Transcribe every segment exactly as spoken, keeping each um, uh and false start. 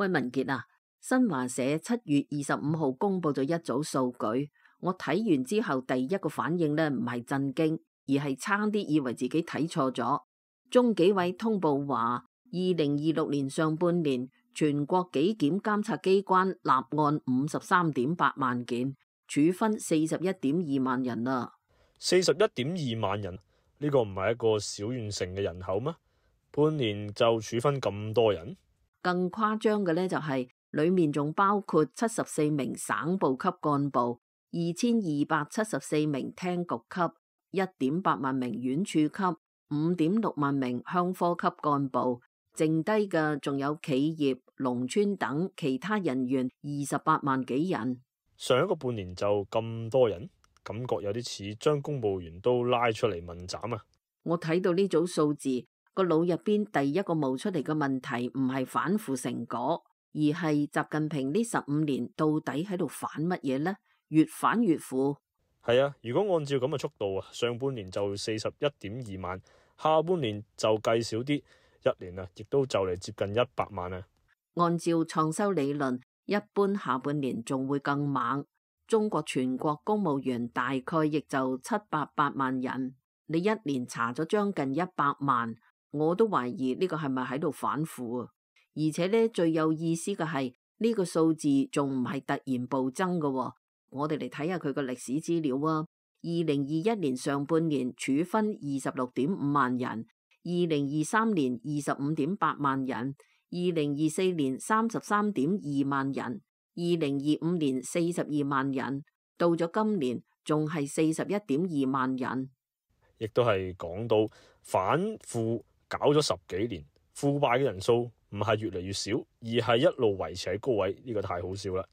喂，文傑啊，新華社七月二十五號公布咗一組數據，我睇完之後第一個反應呢，唔係震驚，而係差啲以為自己睇錯咗。中紀委通報話，二零二六年上半年全國紀檢監察機關立案五十三點八萬件，處分四十一點二萬人啊。四十一點二萬人，呢個唔係一個小縣城嘅人口咩？半年就處分咁多人？更誇張嘅呢，就係裏面仲包括七十四名省部級幹部、二千二百七十四名廳局級、一點八萬名縣處級、五點六萬名鄉科級幹部，剩低嘅仲有企業、農村等其他人員二十八萬幾人。上一個半年就咁多人，感覺有啲似將公務員都拉出嚟問斬啊！我睇到呢組數字，個腦入邊第一個冒出嚟嘅問題唔係反腐成果，而係習近平呢十五年到底喺度反乜嘢呢？越反越腐。係啊，如果按照咁嘅速度啊，上半年就四十一點二萬，下半年就計少啲，一年啊，亦都就嚟接近一百萬啊。按照創收理論，一般下半年仲會更猛。中國全國公務員大概亦就七百八萬人，你一年查咗將近一百萬，我都懷疑呢個係咪喺度反腐啊？而且呢，最有意思嘅係呢個數字仲唔係突然暴增嘅喎。我哋嚟睇下佢個歷史資料啊。二零二一年上半年處分二十六點五萬人，二零二三年二十五點八萬人，二零二四年三十三點二萬人，二零二五年四十二萬人，到咗今年仲係四十一點二萬人。亦都係講到反腐搞咗十幾年，腐敗嘅人數唔係越嚟越少，而係一路維持喺高位，呢個太好笑啦。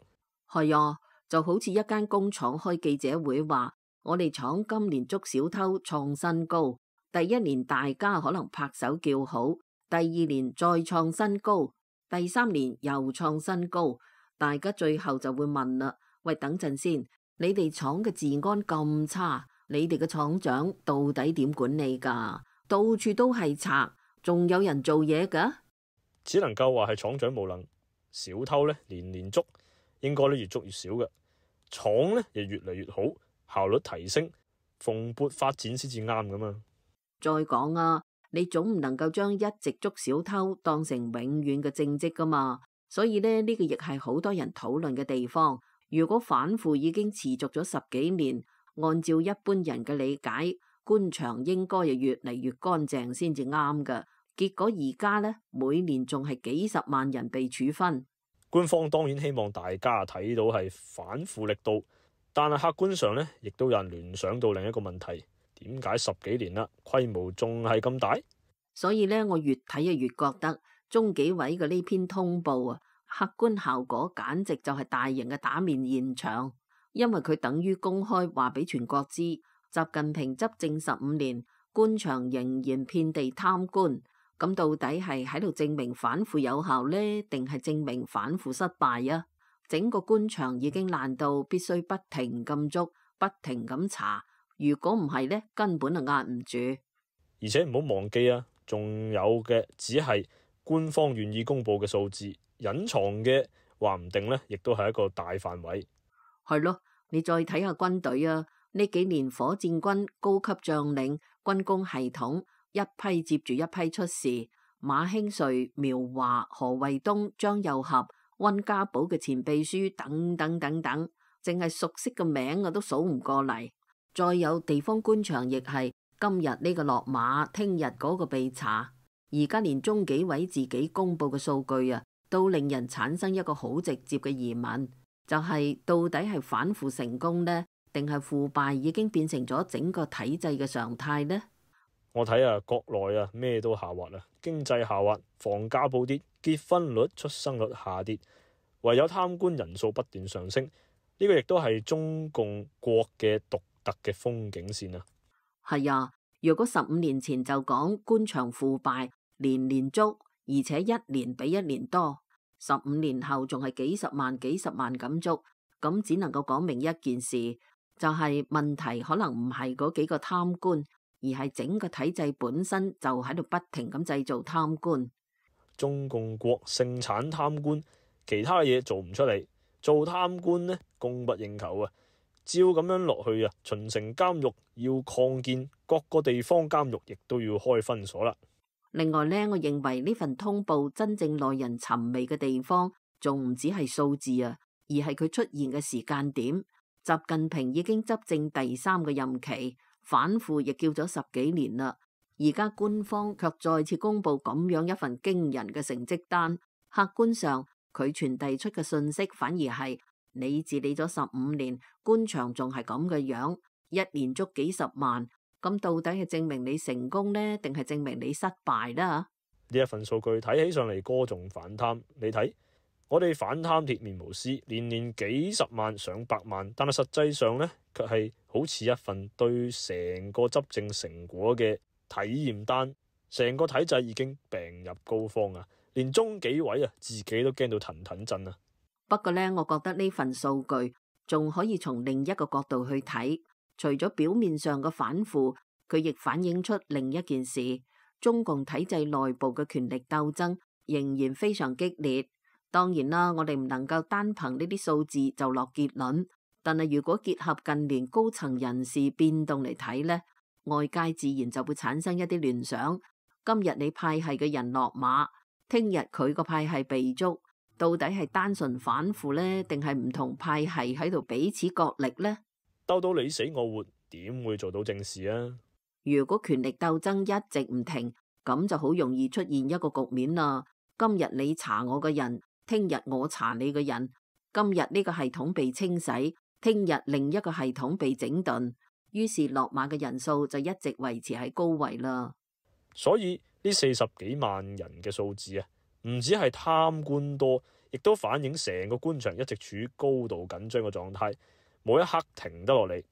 係啊，就好似一間工廠開記者會話，我哋廠今年捉小偷創新高，第一年大家可能拍手叫好，第二年再創新高，第三年又創新高，大家最後就會問啦，喂，等陣先，你哋廠嘅治安咁差，你哋嘅廠長到底點管理噶？到處都係賊，仲有人做嘢噶？只能夠話係廠長無能，小偷呢年年捉，應該咧越捉越少嘅，廠呢亦越嚟越好，效率提升，蓬勃發展先至啱噶嘛。再講啊，你總唔能夠將一直捉小偷當成永遠嘅正職噶嘛。所以呢，呢個亦係好多人討論嘅地方。如果反腐已經持續咗十幾年，按照一般人嘅理解，官場應該係越嚟越乾淨先至啱噶。結果而家呢，每年仲係幾十萬人被處分。官方當然希望大家睇到係反腐力度，但係客觀上呢，亦都有人聯想到另一個問題：點解十幾年啦，規模仲係咁大？所以呢，我越睇啊越覺得中紀委嘅呢篇通報啊，客觀效果簡直就係大型嘅打面現場，因為佢等於公開話俾全國知，習近平執政十五年，官場仍然遍地貪官。咁到底係喺度證明反腐有效呢，定係證明反腐失敗啊？整個官場已經爛到必須不停咁捉，不停咁查。如果唔係呢，根本就壓唔住。而且唔好忘記啊，仲有嘅只係官方願意公布嘅數字，隱藏嘅話唔定呢，亦都係一個大範圍。係咯，你再睇下軍隊啊，呢幾年火箭軍高級將領、軍工系統一批接住一批出事，馬興瑞、苗華、何衛東、張又俠、溫家寶嘅前秘書等等等等，淨係熟悉嘅名我都數唔過嚟。再有地方官場亦係今日呢個落馬，聽日嗰個被查。而家連中紀委自己公布嘅數據啊，都令人產生一個好直接嘅疑問，就係到底係反腐成功呢，定係腐敗已經變成咗整個體制嘅常態呢？我睇啊，國內啊咩都下滑啦，經濟下滑，房價暴跌，結婚率、出生率下跌，唯有貪官人數不斷上升。呢個亦都係中共國嘅獨特嘅風景線啊。係啊，如果十五年前就講官場腐敗年年捉，而且一年比一年多，十五年後仲係幾十萬幾十萬咁捉，咁只能夠講明一件事，就係問題可能唔係嗰幾個貪官，而係整個體制本身就喺度不停咁製造貪官。中共國盛產貪官，其他嘢做唔出嚟，做貪官呢，供不應求啊！照咁樣落去啊，秦城監獄要擴建，各個地方監獄亦都要開分所啦。另外呢，我認為呢份通報真正耐人尋味嘅地方，仲唔止係數字啊，而係佢出現嘅時間點。習近平已經執政第三個任期，反腐亦叫咗十幾年啦。而家官方卻再次公布咁樣一份驚人嘅成績單，客觀上佢傳遞出嘅信息反而係你治理咗十五年，官場仲係咁嘅樣，一年捉幾十萬，咁到底係證明你成功呢，定係證明你失敗啦？呢一份數據睇起上嚟歌頌反貪，你睇我哋反貪鐵面無私，年年幾十萬上百萬，但係實際上呢，卻係好似一份對成個執政成果嘅體驗單，成個體制已經病入膏肓啊！連中紀委啊自己都驚到騰騰震啊！不過呢，我覺得呢份數據仲可以從另一個角度去睇，除咗表面上嘅反腐，佢亦反映出另一件事：中共體制內部嘅權力鬥爭仍然非常激烈。當然啦，我哋唔能夠單憑呢啲數字就落結論，但係如果結合近年高層人事變動嚟睇呢，外界自然就會產生一啲聯想。今日你派系嘅人落馬，聽日佢個派系被捉，到底係單純反腐呢？定係唔同派系喺度彼此角力呢？鬥到你死我活，點會做到正事啊？如果權力鬥爭一直唔停，咁就好容易出現一個局面啦。今日你查我嘅人，聽日我查你嘅人。今日呢個系統被清洗，聽日另一個系統被整頓，於是落馬嘅人數就一直維持喺高位啦。所以呢四十幾萬人嘅數字啊，唔止係貪官多，亦都反映成個官場一直處於高度緊張嘅狀態，冇一刻停得落嚟。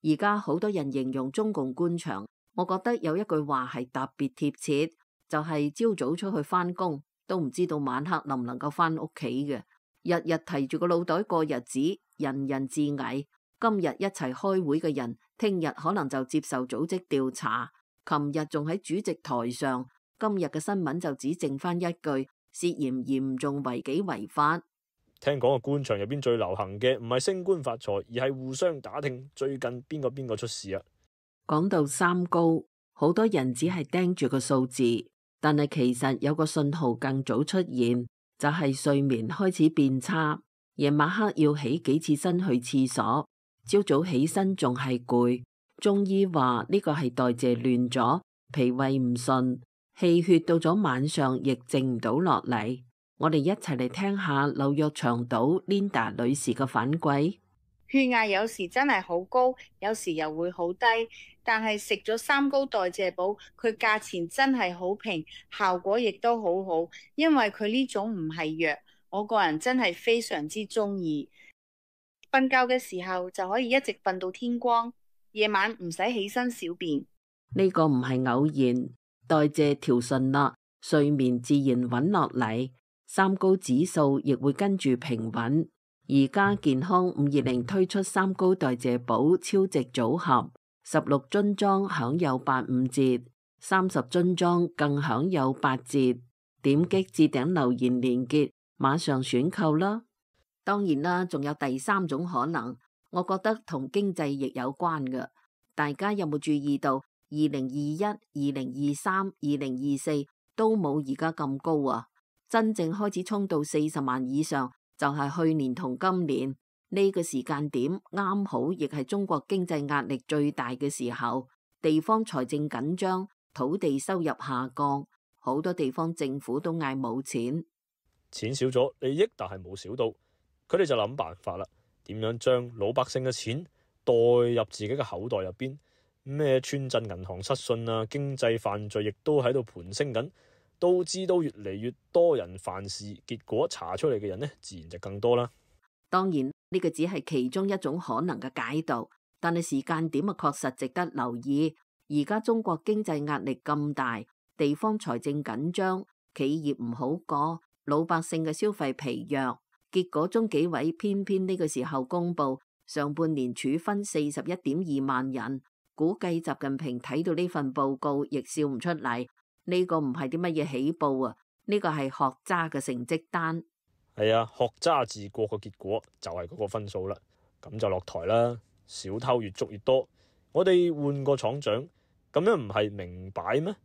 而家好多人形容中共官場，我覺得有一句話係特別貼切，就係朝早出去返工，都唔知道晚黑能唔能夠返屋企嘅，日日提住個腦袋過日子，人人自危。今日一齊開會嘅人，聽日可能就接受組織調查。琴日仲喺主席台上，今日嘅新聞就只剩翻一句涉嫌嚴重違紀違法。聽講個官場入邊最流行嘅唔係升官發財，而係互相打聽最近邊個邊個出事啊！講到三高，好多人只係盯住個數字，但係其實有個信號更早出現，就係睡眠開始變差，夜晚黑要起幾次身去廁所，朝早起身仲係攰。中醫話呢個係代謝亂咗，脾胃唔順，氣血到咗晚上亦靜唔到落嚟。我哋一齊嚟聽下紐約長島 Linda 女士嘅反饋。血壓有時真係好高，有時又會好低，但係食咗三高代謝寶，佢價錢真係好平，效果亦都好好，因為佢呢種唔係藥，我個人真係非常之中意。瞓覺嘅時候就可以一直瞓到天光。夜晚唔使起身小便，呢個唔係偶然，代謝調順啦，睡眠自然穩落嚟，三高指數亦會跟住平穩。而家健康五二零推出三高代謝寶超值組合，十六樽裝享有八五折，三十樽裝更享有八折。點擊置頂留言連結，馬上選購啦！當然啦，仲有第三種可能。我覺得同經濟亦有關嘅，大家有冇注意到？二零二一、二零二三、二零二四都冇而家咁高啊！真正開始衝到四十萬以上，就係去年同今年呢個時間點，啱好亦係中國經濟壓力最大嘅時候，地方財政緊張，土地收入下降，好多地方政府都嗌冇錢，錢少咗，利益但係冇少到，佢哋就諗辦法啦。點樣將老百姓嘅錢代入自己嘅口袋入邊？咩村鎮銀行失信啊，經濟犯罪亦都喺度盤升緊，導致到越嚟越多人犯事，結果查出嚟嘅人呢，自然就更多啦。當然呢個只係其中一種可能嘅解讀，但係時間點啊確實值得留意。而家中國經濟壓力咁大，地方財政緊張，企業唔好過，老百姓嘅消費疲弱。結果中紀委偏偏呢個時候公布上半年處分四十一點二萬人，估計習近平睇到呢份報告亦笑唔出嚟。呢個唔係啲乜嘢起報啊，呢個係學渣嘅成績單。係啊，學渣治國嘅結果就係嗰個分數啦，咁就落台啦。小偷越捉越多，我哋換個廠長，咁樣唔係明擺咩？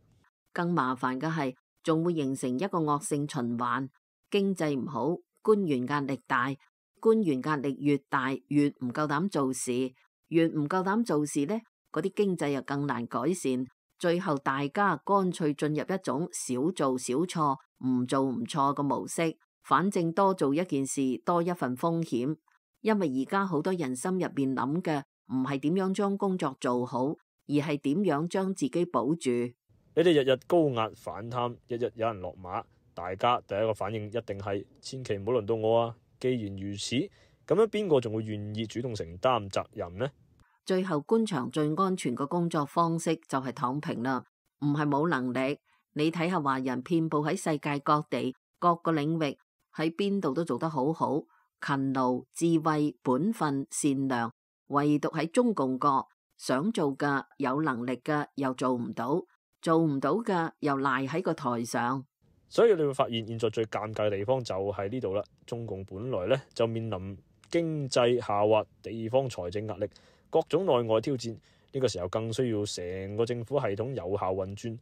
更麻煩嘅係，仲會形成一個惡性循環。經濟唔好，官員壓力大，官員壓力越大，越唔夠膽做事，越唔夠膽做事呢，嗰啲經濟又更難改善。最後大家乾脆進入一種少做少錯，唔做唔錯嘅模式。反正多做一件事，多一份風險。因為而家好多人心入邊諗嘅唔係點樣將工作做好，而係點樣將自己保住。你哋日日高壓反貪，日日有人落馬，大家第一個反應一定係千祈唔好輪到我啊！既然如此，咁樣邊個仲會願意主動承擔責任呢？最後官場最安全嘅工作方式就係躺平啦，唔係冇能力。你睇下華人遍佈喺世界各地各個領域，喺邊度都做得好好。勤勞、智慧、本分、善良，唯獨喺中共國，想做嘅、有能力嘅又做唔到，做唔到嘅又賴喺個台上。所以你會發現，現在最尷尬嘅地方就係呢度啦。中共本來咧就面臨經濟下滑、地方財政壓力、各種內外挑戰，呢個時候更需要成個政府系統有效運轉，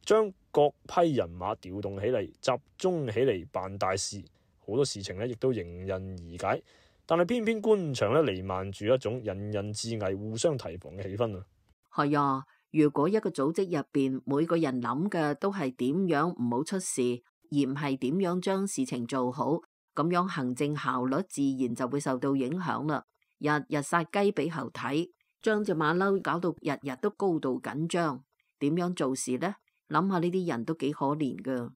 將各批人馬調動起嚟，集中起嚟辦大事。好多事情咧，亦都迎刃而解，但係偏偏官場咧彌漫住一種人人自危、互相提防嘅氣氛啊！係啊，如果一個組織入邊每個人諗嘅都係點樣唔好出事，而唔係點樣將事情做好，咁樣行政效率自然就會受到影響啦。日日殺雞俾猴睇，將隻馬騮搞到日日都高度緊張，點樣做事呢？諗下呢啲人都幾可憐噶。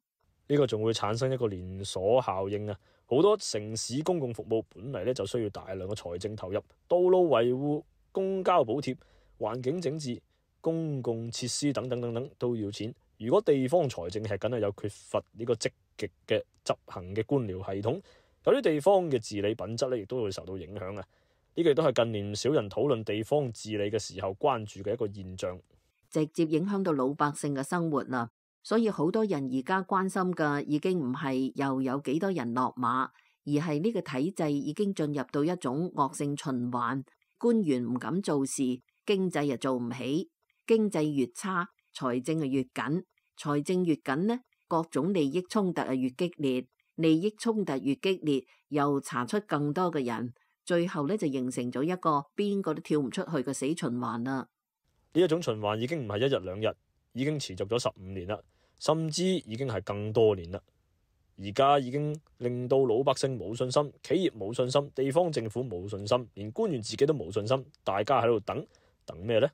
呢個仲會產生一個連鎖效應啊！好多城市公共服務本嚟咧就需要大量嘅財政投入，道路維護、公交補貼、環境整治、公共設施等等等等都要錢。如果地方財政係緊係有缺乏呢個積極嘅執行嘅官僚系統，有啲地方嘅治理品質咧亦都會受到影響啊！呢個亦都係近年唔少人討論地方治理嘅時候關注嘅一個現象，直接影響到老百姓嘅生活啦。所以好多人而家關心嘅已經唔係又有幾多人落馬，而係呢個體制已經進入到一種惡性循環。官員唔敢做事，經濟又做唔起，經濟越差，財政就越緊，財政越緊呢，各種利益衝突啊越激烈，利益衝突越激烈，又查出更多嘅人，最後呢就形成咗一個邊個都跳唔出去嘅死循環啦。呢一種循環已經唔係一日兩日，已經持續咗十五年啦。甚至已經係更多年啦，而家已經令到老百姓冇信心，企業冇信心，地方政府冇信心，連官員自己都冇信心，大家喺度等等咩呢？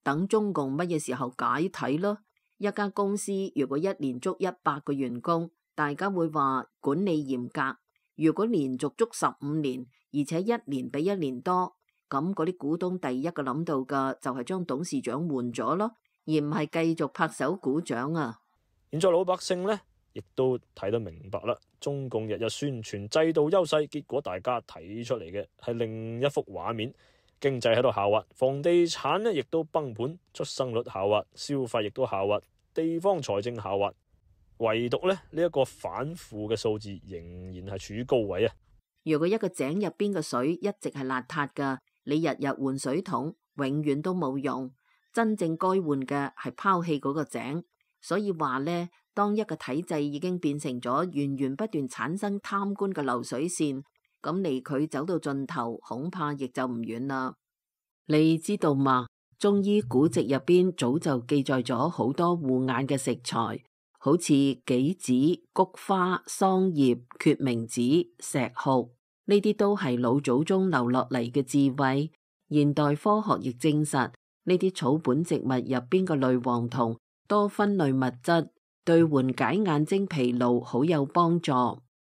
等中共乜嘢時候解體咯？一間公司如果一年捉一百個員工，大家會話管理嚴格；如果連續捉十五年，而且一年比一年多，咁嗰啲股東第一個諗到嘅就係將董事長換咗咯，而唔係繼續拍手鼓掌啊！現在老百姓呢，亦都睇得明白啦。中共日日宣傳制度優勢，結果大家睇出嚟嘅係另一幅畫面。經濟喺度下滑，房地產呢亦都崩盤，出生率下滑，消費亦都下滑，地方財政下滑。唯獨呢，呢一個反負嘅數字仍然係處於高位啊！如果一個井入邊嘅水一直係邋遢噶，你日日換水桶，永遠都冇用。真正該換嘅係拋棄嗰個井。所以話呢，當一個體制已經變成咗源源不斷產生貪官嘅流水線，咁離佢走到盡頭，恐怕亦就唔遠啦。你知道嘛？中醫古籍入邊早就記載咗好多護眼嘅食材，好似杞子、菊花、桑葉、決明子、石斛，呢啲都係老祖宗留落嚟嘅智慧。現代科學亦證實，呢啲草本植物入邊嘅類黃酮多酚類物質對緩解眼睛疲勞好有幫助。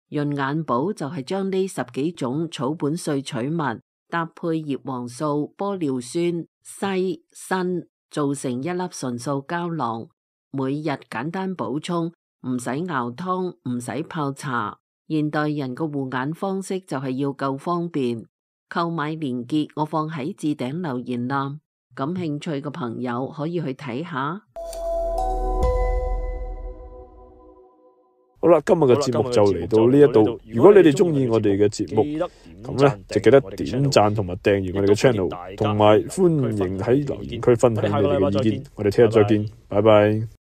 潤眼寶就係將呢十幾種草本萃取物搭配葉黃素、玻尿酸、硒、鋅，做成一粒純素膠囊，每日簡單補充，唔使熬湯，唔使泡茶。現代人個護眼方式就係要夠方便。購買鏈接我放喺置頂留言啦，感興趣嘅朋友可以去睇下。好啦，今日嘅節目就嚟到呢一度。如果你哋中意我哋嘅節目，咁咧就記得點讚同埋訂閱我哋嘅 channel，同埋歡迎喺留言區分享你哋嘅意見。我哋聽日再見，拜拜。